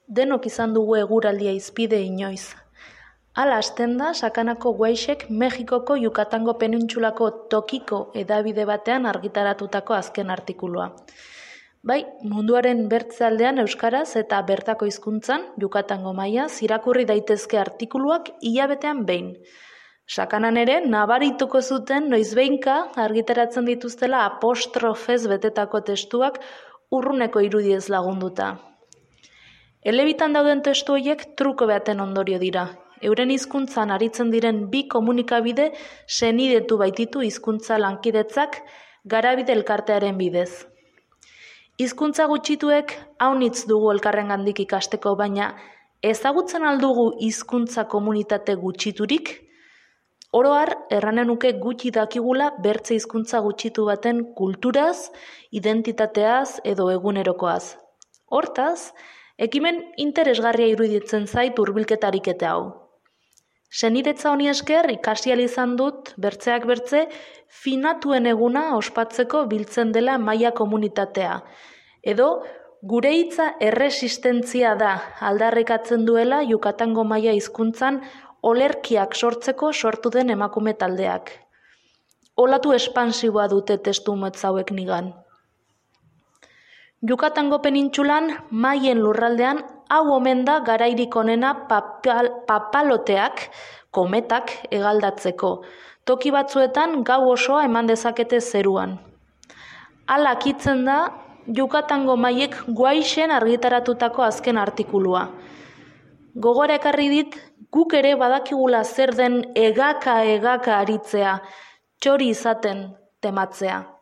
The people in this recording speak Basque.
Denok izan dugu eguraldia izpide inoiz. Hala hasten da Sakanako Guaixek Mexikoko Yukatango penintsulako tokiko hedabide batean argitaratutako azken artikulua. Bai, munduaren bertzaldean euskaraz eta bertako hizkuntzan, Yukatango mailaz, irakurri daitezke artikuluak hilabetean behin. Sakanan ere, nabarituko zuten noizbehinka argitaratzen dituztela apostrofez betetako testuak urruneko irudiez lagunduta. Elebitan dauden testu horiek truko baten ondorio dira. Euren hizkuntzan aritzen diren bi komunikabide senidetu baititu hizkuntza lankidetzak Garabide elkartearen bidez. Hizkuntza gutxituek haunitz dugu elkarrengandik ikasteko, baina ezagutzen aldugu hizkuntza komunitate gutxiturik? Oro har, erranen nuke gutxi dakigula bertze hizkuntza gutxitu baten kulturaz, identitateaz edo egunerokoaz. Hortaz, ekimen interesgarria iruditzen zait hurbilketarik eta hau. Senidetza honi esker ikasi ahal izan dut bertzeak bertze finatuen eguna ospatzeko biltzen dela maila komunitatea. Edo gure hitza erresistentzia da aldarrikatzen duela Yukatango maila hizkuntzan olerkiak sortzeko sortu den emakume taldeak. Olatu espansiboa dute testu motz hauek nigan. Yukatango penintsulan, maien lurraldean, hau omen da garairik onena papaloteak, kometak hegaldatzeko. Toki batzuetan gau osoa eman dezakete zeruan. Hala akitzen da Yukatango maiek Guaixen argitaratutako azken artikulua. Gogora ekarri dit, guk ere badakigula zer den egaka aritzea, txori izaten tematzea.